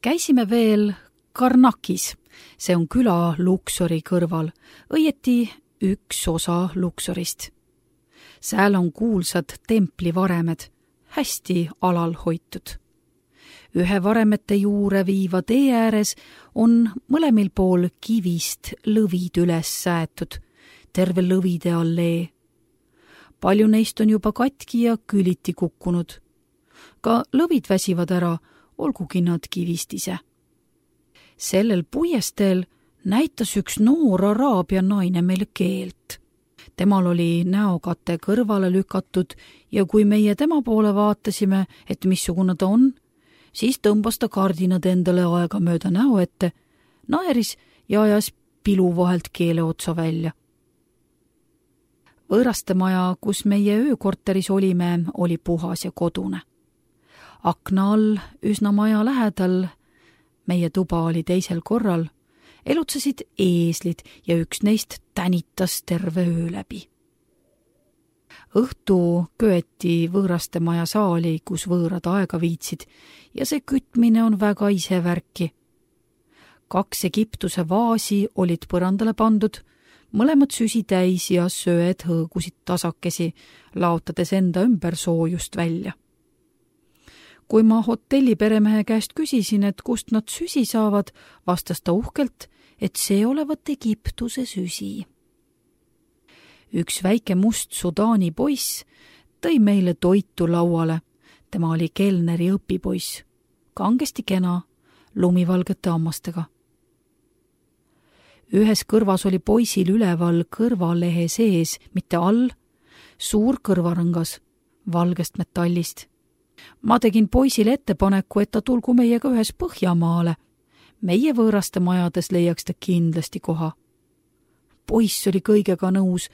Käisime veel Karnakis, see on küla Luxori kõrval, õieti üks osa Luxorist. Sääl on kuulsad templivaremed, hästi alal hoitud. Ühe varemete juure viiva tee ääres on mõlemil pool kivist lõvid üles säätud, terve lõvide allee. Palju neist on juba katki ja küliti kukkunud. Ka lõvid väsivad ära, olgugi nad kivist ise. Sellel puiesteel näitas üks noor araabia naine meile keelt. Temal oli näokate kõrvale lükatud ja kui meie tema poole vaatasime, et missugune ta on, siis tõmbas ta kardinad endale aega mööda näo ette, naeris ja ajas pilu vahelt keele otsa välja. Võõrastemaja, kus meie öökorteris olime, oli puhas ja kodune. Akna all, üsna maja lähedal, meie tuba oli teisel korral, elutsesid eeslid ja üks neist tänitas terve öö läbi. Õhtu köeti võõrastemaja saali, kus võõrad aega viitsid ja see kütmine on väga isevärki. 2 Egiptuse vaasi olid põrandale pandud, mõlemad süsi täis ja söed hõõgusid tasakesi, laotades enda ümber soojust välja. Kui ma hotelli peremehe käest küsisin, et kust nad süsi saavad, vastas ta uhkelt, et see olevat Egiptuse süsi. Üks väike must Sudaani poiss tõi meile toitu lauale. Tema oli kelneri õpipoiss, kangesti kena, lumivalgete hammastega. Ühes kõrvas oli poisil üleval kõrvalehe sees, mitte all, suur kõrvarõngas, valgest metallist. Ma tegin poisile ettepaneku, et ta tulgu meiega ühes Põhjamaale. Meie võõraste majades leiaks ta kindlasti koha. Poiss oli kõigega nõus,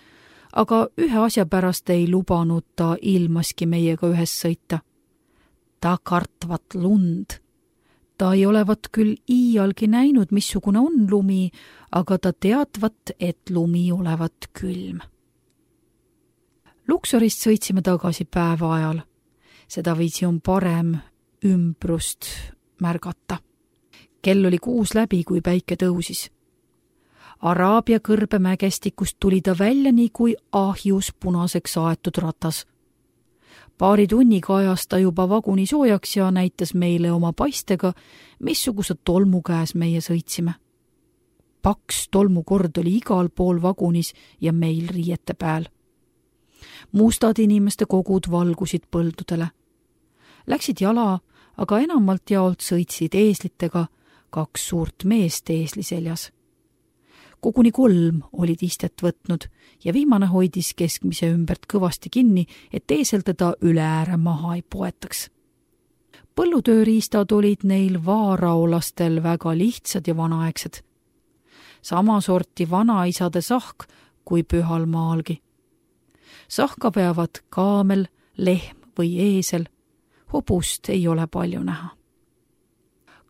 aga ühe asja pärast ei lubanud ta ilmaski meiega ühes sõita. Ta kartvat lund. Ta ei olevat küll iialgi näinud, missugune on lumi, aga ta teadvat, et lumi olevat külm. Luxorist sõitsime tagasi päeva ajal. Seda viisi on parem ümbrust märgata. Kell oli 6 läbi, kui päike tõusis. Araabia kõrbe mägestikust tuli ta välja nii kui ahjus punaseks aetud ratas. Paari tunniga ajas ta juba vaguni soojaks ja näitas meile oma paistega, missuguse tolmu käes meie sõitsime. Paks tolmukord oli igal pool vagunis ja meil riiete pääl. Mustad inimeste kogud valgusid põldudele. Läksid jala, aga enamalt jaolt sõitsid eeslitega, 2 suurt meest eesli seljas. Koguni 3 olid istet võtnud ja viimane hoidis keskmise ümbert kõvasti kinni, et eesel teda üle ääre maha ei poetaks. Põllutööriistad olid neil vaaraolastel väga lihtsad ja vanaaegsed. Sama sorti vanaisade sahk kui pühal maalgi. Sahka veavad kaamel, lehm või eesel. Hobust ei ole palju näha.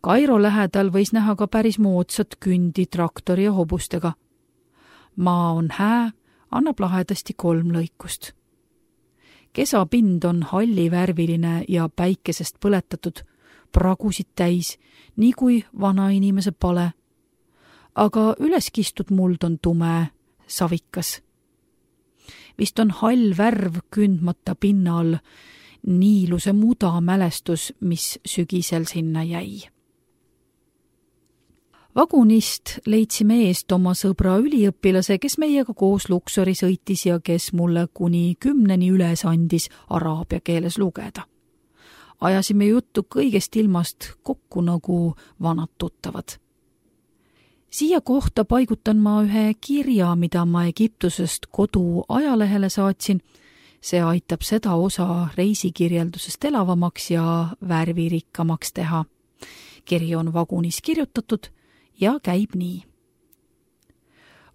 Kairo lähedal võis näha ka päris moodsat kündi traktori ja hobustega. Maa on hää, annab lahedasti 3 lõikust. Kesapind on hallivärviline ja päikesest põletatud, pragusid täis, nii kui vanainimese pale. Aga üleskistud muld on tume, savikas. Vist on hall värv kündmata pinna all, niiluse muda mälestus, mis sügisel sinna jäi. Vagunist leidsime eest oma sõbra üliõpilase, kes meiega koos Luxori sõitis ja kes mulle kuni 10 üles andis araabia keeles lugeda. Ajasime juttu kõigest ilmast kokku nagu vanad tuttavad. Siia kohta paigutan ma ühe kirja, mida ma Egiptusest kodu ajalehele saatsin. See aitab seda osa reisikirjeldusest elavamaks ja värvirikkamaks teha. Kiri on vagunis kirjutatud ja käib nii.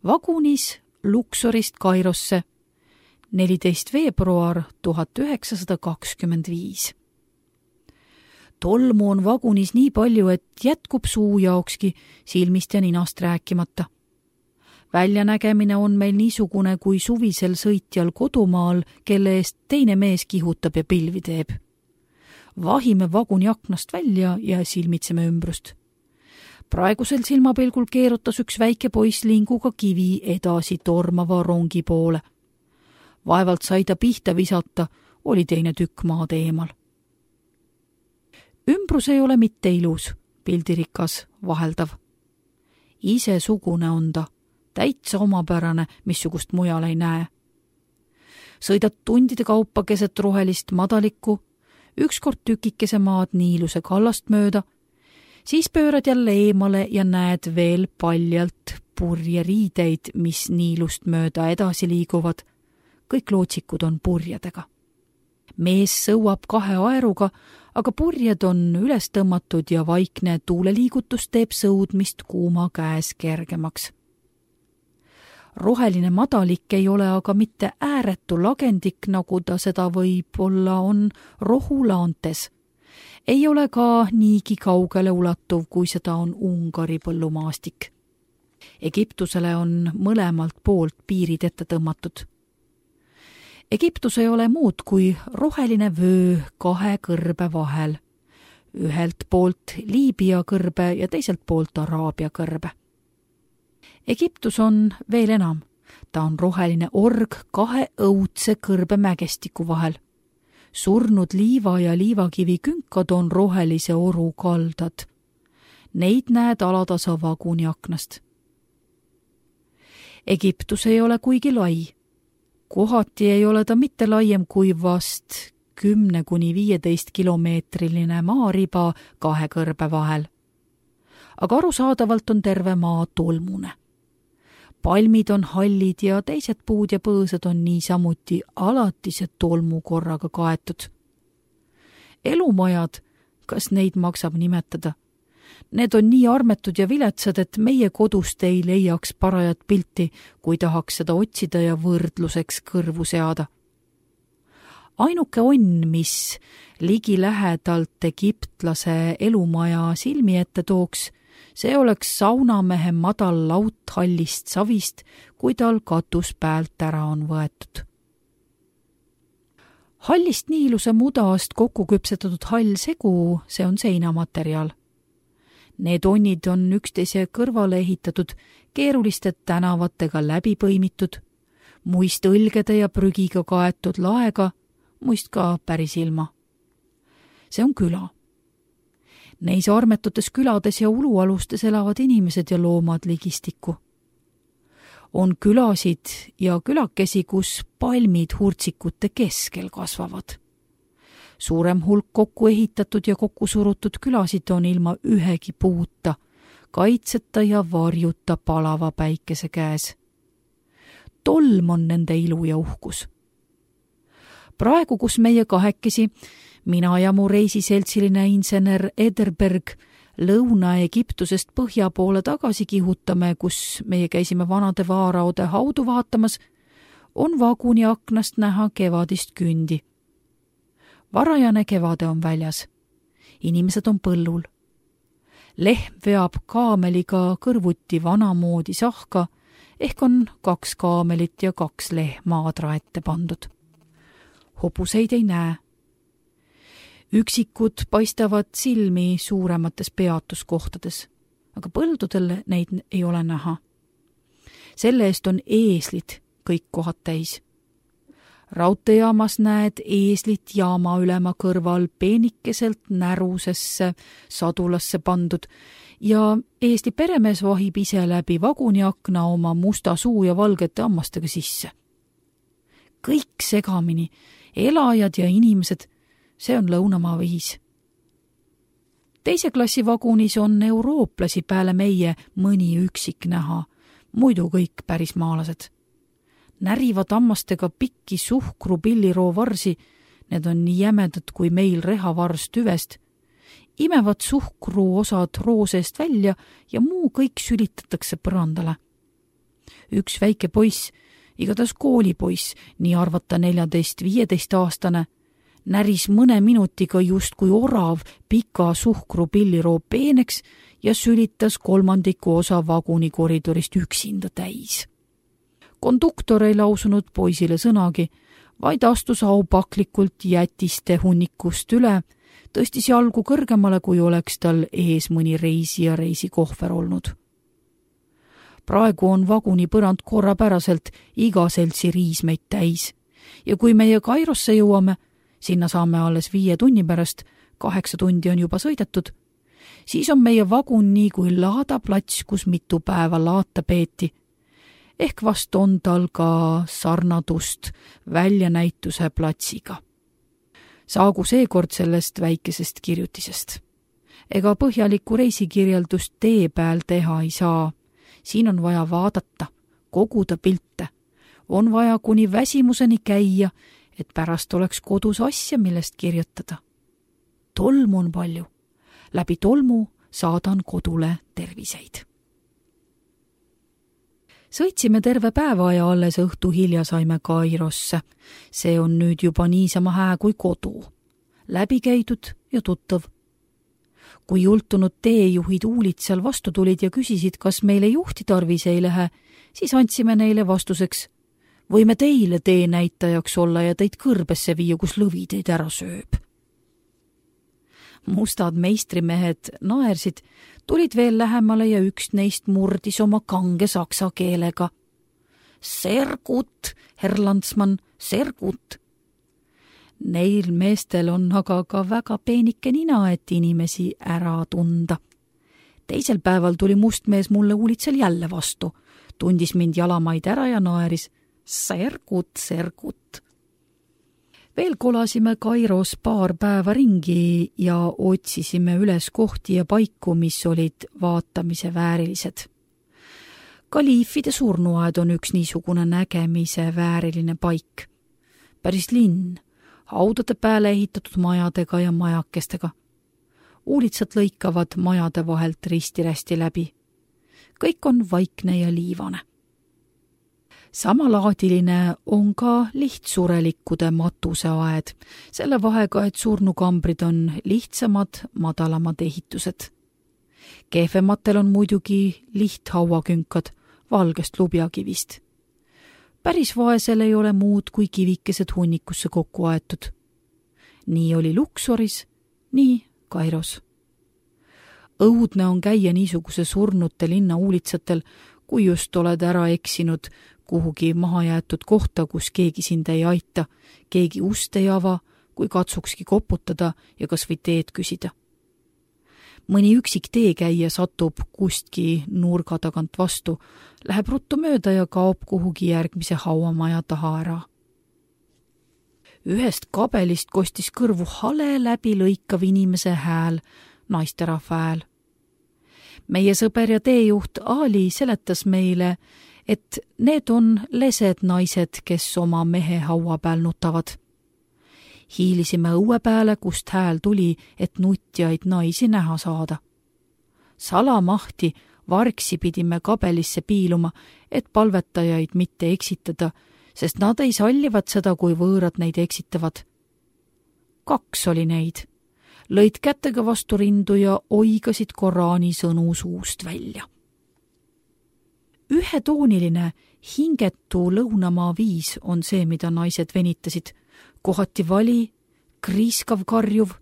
Vagunis Luxorist Kairosse 14. veebruar 1925. Tolmu on vagunis nii palju, et jätkub suu jaokski, silmist ja ninast rääkimata. Väljanägemine on meil niisugune kui suvisel sõitjal kodumaal, kelle eest teine mees kihutab ja pilvi teeb. Vahime vaguni aknast välja ja silmitseme ümbrust. Praegusel silmapilgul keerutas üks väike poiss linguga kivi edasi tormava rongi poole. Vaevalt sai ta pihta visata, oli teine tükk maad eemal. Ümbrus ei ole mitte ilus, pildirikas, vaheldav. Isesugune on ta, täitsa omapärane, missugust mujal ei näe. Sõidad tundide kaupa keset rohelist madalikku, ükskord tükikese maad Niiluse kallast mööda, siis pöörad jälle eemale ja näed veel paljalt purjeriideid, mis Niilust mööda edasi liiguvad. Kõik lootsikud on purjedega. Mees sõuab 2 aeruga, aga purjed on üles tõmmatud ja vaikne tuuleliigutus teeb sõudmist kuuma käes kergemaks. Roheline madalik ei ole aga mitte ääretu lagendik, nagu ta seda võib-olla on rohulaantes. Ei ole ka niigi kaugele ulatuv, kui seda on Ungari põllumaastik. Egiptusele on mõlemalt poolt piirid ette tõmmatud. Egiptus ei ole muud kui roheline vöö 2 kõrbe vahel. Ühelt poolt Liibüa kõrbe ja teiselt poolt Araabia kõrbe. Egiptus on veel enam. Ta on roheline org 2 õudse kõrbe mägestiku vahel. Surnud liiva ja liivakivi künkad on rohelise oru kaldad. Neid näed alatasa vaguni aknast. Egiptus ei ole kuigi lai. Kohati ei ole ta mitte laiem kui vast 10–15 kilomeetriline maariba 2 kõrbe vahel. Aga arusaadavalt on terve maa tolmune. Palmid on hallid ja teised puud ja põõsad on niisamuti alatise tolmukorraga kaetud. Elumajad, kas neid maksab nimetada? Need on nii armetud ja viletsad, et meie kodust ei leiaks parajat pilti, kui tahaks seda otsida ja võrdluseks kõrvu seada. Ainuke onn, mis ligi lähedalt egiptlase elumaja silmi ette tooks, see oleks saunamehe madal laut hallist savist, kui tal katus pealt ära on võetud. Hallist Niiluse mudast kokku küpsetatud hall segu, see on seinamateriaal. Need onnid on üksteise kõrvale ehitatud, keeruliste tänavatega läbi põimitud, muist õlgede ja prügiga kaetud laega, muist ka päris ilma. See on küla. Neis armetutes külades ja ulualustes elavad inimesed ja loomad ligistikku. On külasid ja külakesi, kus palmid hurtsikute keskel kasvavad. Suurem hulk kokku ehitatud ja kokku surutud külasid on ilma ühegi puuta, kaitseta ja varjuta palava päikese käes. Tolm on nende ilu ja uhkus. Praegu, kus meie 2, mina ja mu reisiseltsiline insener Ederberg Lõuna-Egiptusest põhja poole tagasi kihutame, kus meie käisime vanade vaaraode haudu vaatamas, on vaguni aknast näha kevadist kündi. Varajane kevade on väljas. Inimesed on põllul. Lehm veab kaameliga kõrvuti vanamoodi sahka, ehk on 2 kaamelit ja 2 lehma adra ette pandud. Hobuseid ei näe. Üksikud paistavad silmi suuremates peatuskohtades, aga põldudel neid ei ole näha. Selle eest on eeslid kõik kohad täis. Raudteejaamas näed eeslit jaama ülema kõrval peenikeselt närusesse sadulasse pandud ja eesli peremees vahib ise läbi vaguni akna oma musta suu ja valgete hammastega sisse. Kõik segamini, elajad ja inimesed, see on lõunamaa viis. Teise klassi vagunis on eurooplasi peale meie mõni üksik näha, muidu kõik päris maalased. Närivad hammastega pikki suhkru pilliroo varsi, need on nii jämedad kui meil rehavars tüvest, imevad suhkru osad rooseest välja ja muu kõik sülitatakse põrandale. Üks väike poiss, igatahes koolipoiss, nii arvata 14–15-aastane, näris mõne minutiga justkui orav pika suhkru pilliroo peeneks ja sülitas 3 osa vaguni koridorist üksinda täis. Konduktor ei lausunud poisile sõnagi, vaid astus aupaklikult jätiste hunnikust üle, tõstis jalgu kõrgemale, kui oleks tal ees mõni reisija reisikohver olnud. Praegu on vaguni põrand korrapäraselt iga seltsi riismeid täis ja kui meie Kairosse jõuame, sinna saame alles 5 tunni pärast, 8 tundi on juba sõidetud, siis on meie vagun nii kui laadaplats, kus mitu päeva laata peeti. Ehk vast on tal ka sarnadust väljanäituse platsiga. Saagu seekord sellest väikesest kirjutisest. Ega põhjalikku reisikirjeldust tee peal teha ei saa. Siin on vaja vaadata, koguda pilte. On vaja kuni väsimuseni käia, et pärast oleks kodus asja, millest kirjutada. Tolmu on palju. Läbi tolmu saadan kodule terviseid. Sõitsime terve päeva ja alles õhtu hilja saime Kairosse. See on nüüd juba niisama hää kui kodu. Läbi käidud ja tuttav. Kui jultunud teejuhid uulid seal vastu tulid ja küsisid, kas meile juhti tarvis ei lähe, siis andsime neile vastuseks: võime teile teenäitajaks olla ja teid kõrbesse viia, kus lõvi teid ära sööb. Mustad meistrimehed naersid, tulid veel lähemale ja üks neist murdis oma kange saksa keelega. Sergut, Herr Landsmann, sergut. Neil meestel on aga ka väga peenike nina, et inimesi ära tunda. Teisel päeval tuli must mees mulle uulitsel jälle vastu, tundis mind jalamaid ära ja naeris. Sergut, sergut. Veel kolasime Kairos paar päeva ringi ja otsisime üles kohti ja paiku, mis olid vaatamise väärilised. Kaliifide surnuaed on üks niisugune nägemise vääriline paik. Päris linn, haudade pääle ehitatud majadega ja majakestega. Uulitsad lõikavad majade vahelt risti-rästi läbi. Kõik on vaikne ja liivane. Samalaadiline on ka lihtsurelikkude matuseaed, selle vahega, et surnukambrid on lihtsamad, madalamad ehitused. Kehvematel on muidugi lihthauakünkad valgest lubjakivist. Päris vaesel ei ole muud kui kivikesed hunnikusse kokku aetud. Nii oli Luksoris, nii Kairos. Õudne on käia niisuguse surnute linna uulitsatel, kui just oled ära eksinud kuhugi mahajäetud kohta, kus keegi sind ei aita, keegi ust ei ava, kui katsukski koputada ja kas või teed küsida. Mõni üksik teekäija satub kustki nurga tagant vastu, läheb ruttu mööda ja kaob kuhugi järgmise hauamaja taha ära. Ühest kabelist kostis kõrvu hale läbi lõikav inimese hääl, naisterahva hääl. Meie sõber ja teejuht Ali seletas meile, et need on lesed naised, kes oma mehe haua peal nutavad. Hiilisime õue peale, kust hääl tuli, et nutjaid naisi näha saada. Salamahti vargsi pidime kabelisse piiluma, et palvetajaid mitte eksitada, sest nad ei sallivad seda, kui võõrad neid eksitavad. 2 oli neid. Lõid kätega vastu rindu ja oigasid Koraani sõnu suust välja. Ühetooniline, hingetu lõunamaa viis on see, mida naised venitasid. Kohati vali, kriiskav karjuv,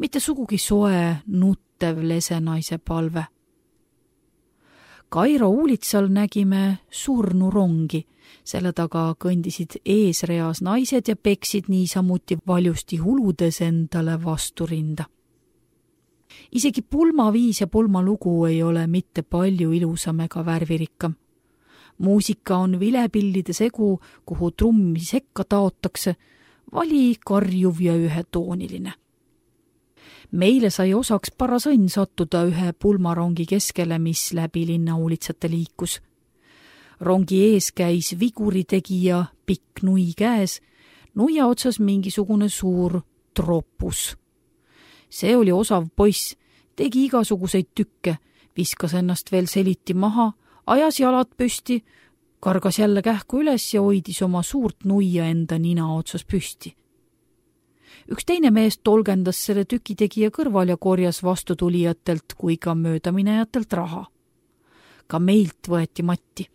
mitte sugugi soe, nuttev lesenaise palve. Kairo uulitsal nägime surnurongi, selle taga kõndisid eesreas naised ja peksid niisamuti valjusti huludes endale vastu rinda. Isegi pulmaviis ja pulmalugu ei ole mitte palju ilusam ega värvirikkam. Muusika on vilepillide segu, kuhu trummi sekka taotakse, vali karjuv ja ühetooniline. Meile sai osaks paras õnn sattuda ühe pulmarongi keskele, mis läbi linnauulitsate liikus. Rongi ees käis viguritegija pikk nui käes, nuia otsas mingisugune suur tropus. See oli osav poiss, tegi igasuguseid tükke, viskas ennast veel seliti maha, ajas jalad püsti, kargas jälle kähku üles ja hoidis oma suurt nuia enda nina otsas püsti. Üks teine mees tolgendas selle tükitegija kõrval ja korjas vastutulijatelt kui ka möödaminejatelt raha. Ka meilt võeti matti.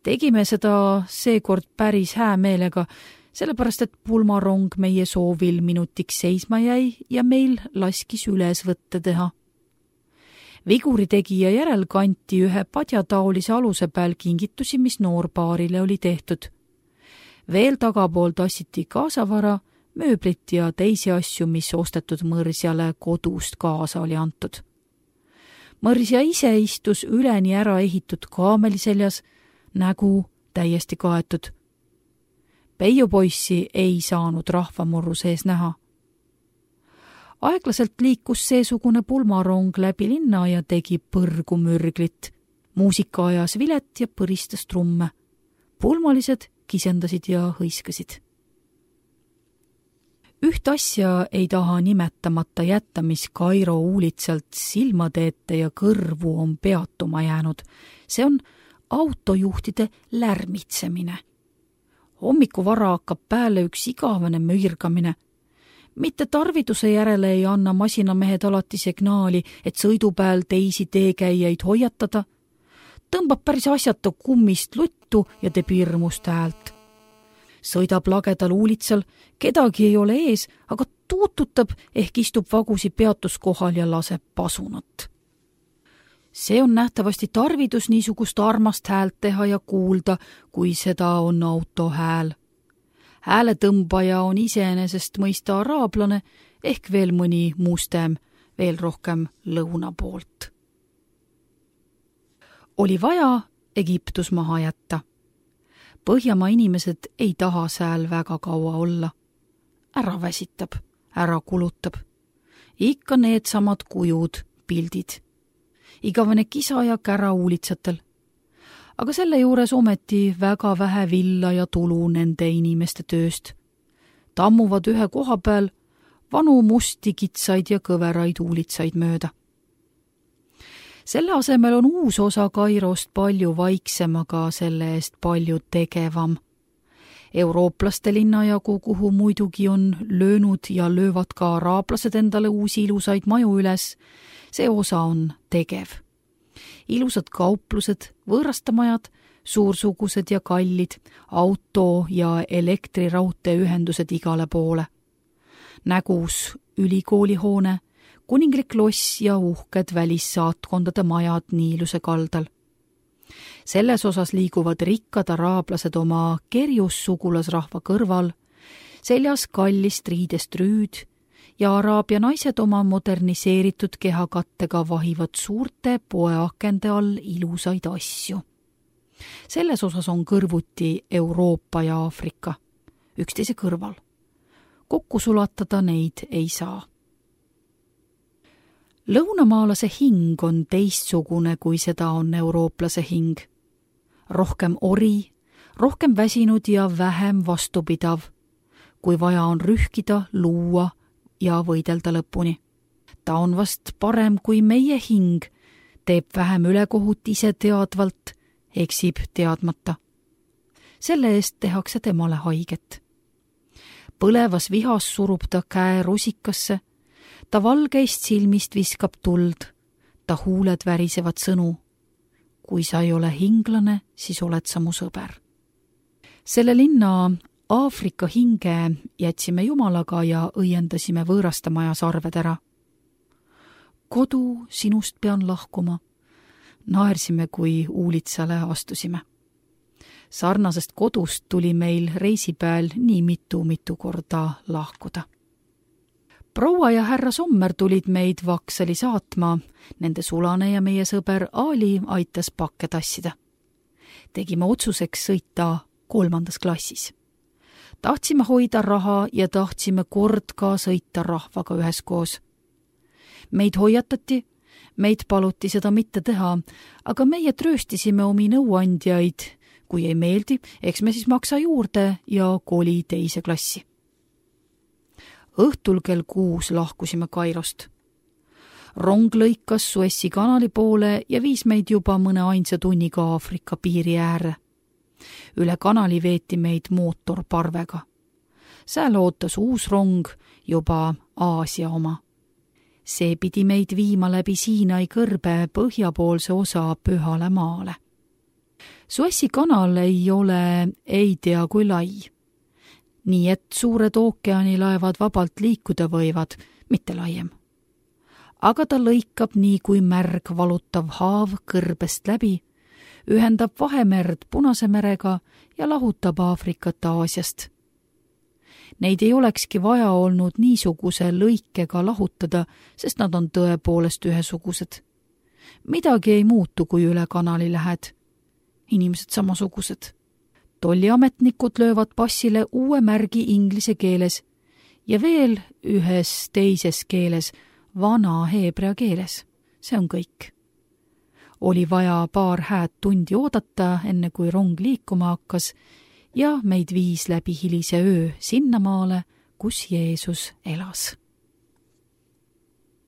Tegime seda seekord päris hää meelega, sellepärast et pulmarong meie soovil minutiks seisma jäi ja meil laskis üles võtte teha. Viguri tegija järel kanti ühe padjataolise aluse peal kingitusi, mis noorpaarile oli tehtud. Veel tagapool tassiti kaasavara, mööblit ja teisi asju, mis ostetud mõrsjale kodust kaasa oli antud. Mõrsja ise istus üleni ära ehitud kaameli seljas, nägu täiesti kaetud. Peiupoissi ei saanud rahvamurru sees näha. Aeglaselt liikus seesugune pulmarong läbi linna ja tegi põrgu mürglit. Muusika ajas vilet ja põristas trumme. Pulmalised kisendasid ja hõiskasid. Üht asja ei taha nimetamata jätta, mis Kairo uulitselt silmade ette ja kõrvu on peatuma jäänud. See on autojuhtide lärmitsemine. Hommiku vara hakkab pääle üks igavene müürgamine. Mitte tarviduse järele ei anna masinamehed alati signaali, et sõidupäel teisi teekäijaid hoiatada. Tõmbab päris asjata kummist luttu ja teeb hirmust häält. Sõidab lagedal uulitsal, kedagi ei ole ees, aga tuututab ehk istub vagusi peatuskohal ja laseb pasunat. See on nähtavasti tarvidus niisugust armast häält teha ja kuulda, kui seda on auto hääl. Hääletõmbaja on iseenesest mõista araablane ehk veel mõni mustem, veel rohkem lõuna poolt. Oli vaja Egiptus maha jätta. Põhjamaa inimesed ei taha sääl väga kaua olla. Ära väsitab, ära kulutab. Ikka need samad kujud, pildid. Igavene kisa ja kära uulitsatel. Aga selle juures ometi väga vähe villa ja tulu nende inimeste tööst. Tammuvad ühe koha peal vanu musti kitsaid ja kõveraid uulitsaid mööda. Selle asemel on uus osa Kairost palju vaiksem, aga selle eest palju tegevam. Eurooplaste linnajagu, kuhu muidugi on löönud ja löövad ka araablased endale uusi ilusaid maju üles, see osa on tegev. Ilusad kauplused, võõrastamajad, suursugused ja kallid, auto- ja elektriraudteeühendused igale poole. Nägus ülikoolihoone, kuninglik loss ja uhked välissaatkondade majad Niiluse kaldal. Selles osas liiguvad rikkad araablased oma kerjus sugulasrahva kõrval, seljas kallist riidest rüüd ja araabia naised oma moderniseeritud kehakattega vahivad suurte poeakende all ilusaid asju. Selles osas on kõrvuti Euroopa ja Aafrika, üksteise kõrval. Kokku sulatada neid ei saa. Lõunamaalase hing on teistsugune, kui seda on eurooplase hing. Rohkem ori, rohkem väsinud ja vähem vastupidav, kui vaja on rühkida, luua ja võidelda lõpuni. Ta on vast parem kui meie hing, teeb vähem ülekohut ise teadvalt, eksib teadmata. Selle eest tehakse temale haiget. Põlevas vihas surub ta käe rusikasse, ta valgeist silmist viskab tuld, ta huuled värisevad sõnu. Kui sa ei ole hinglane, siis oled sa mu sõber. Selle linna Aafrika hinge jätsime jumalaga ja õiendasime võõrastamaja sarved ära. Kodu, sinust pean lahkuma. Naersime, kui uulitsale astusime. Sarnasest kodust tuli meil reisipäel nii mitu korda lahkuda. Proua ja härra Sommer tulid meid Vaksali saatma, nende sulane ja meie sõber Ali aitas pakke tassida. Tegime otsuseks sõita 3. klassis. Tahtsime hoida raha ja tahtsime kord ka sõita rahvaga üheskoos. Meid hoiatati, meid paluti seda mitte teha, aga meie trööstisime omi nõuandjaid. Kui ei meeldi, eks me siis maksa juurde ja koli teise klassi. Õhtul kell 6 lahkusime Kairost. Rong lõikas Suessi kanali poole ja viis meid juba mõne ainsa tunniga Aafrika piiri ääre. Üle kanali veeti meid mootorparvega. Sääl ootas uus rong, juba Aasia oma. See pidi meid viima läbi Siinai kõrbe põhjapoolse osa Pühale maale. Suessi kanal ei ole ei tea kui lai. nii et suured ookeanilaevad vabalt liikuda võivad, mitte laiem. Aga ta lõikab nii kui märg valutav haav kõrbest läbi, ühendab Vahemerd Punase merega ja lahutab Aafrikat Aasiast. Neid ei olekski vaja olnud niisuguse lõikega lahutada, sest nad on tõepoolest ühesugused. Midagi ei muutu, kui üle kanali lähed. Inimesed samasugused. Tolliametnikud löövad passile uue märgi inglise keeles ja veel ühes teises keeles, vana heebrea keeles. See on kõik. Oli vaja paar hääd tundi oodata, enne kui rong liikuma hakkas ja meid viis läbi hilise öö sinnamaale, kus Jeesus elas.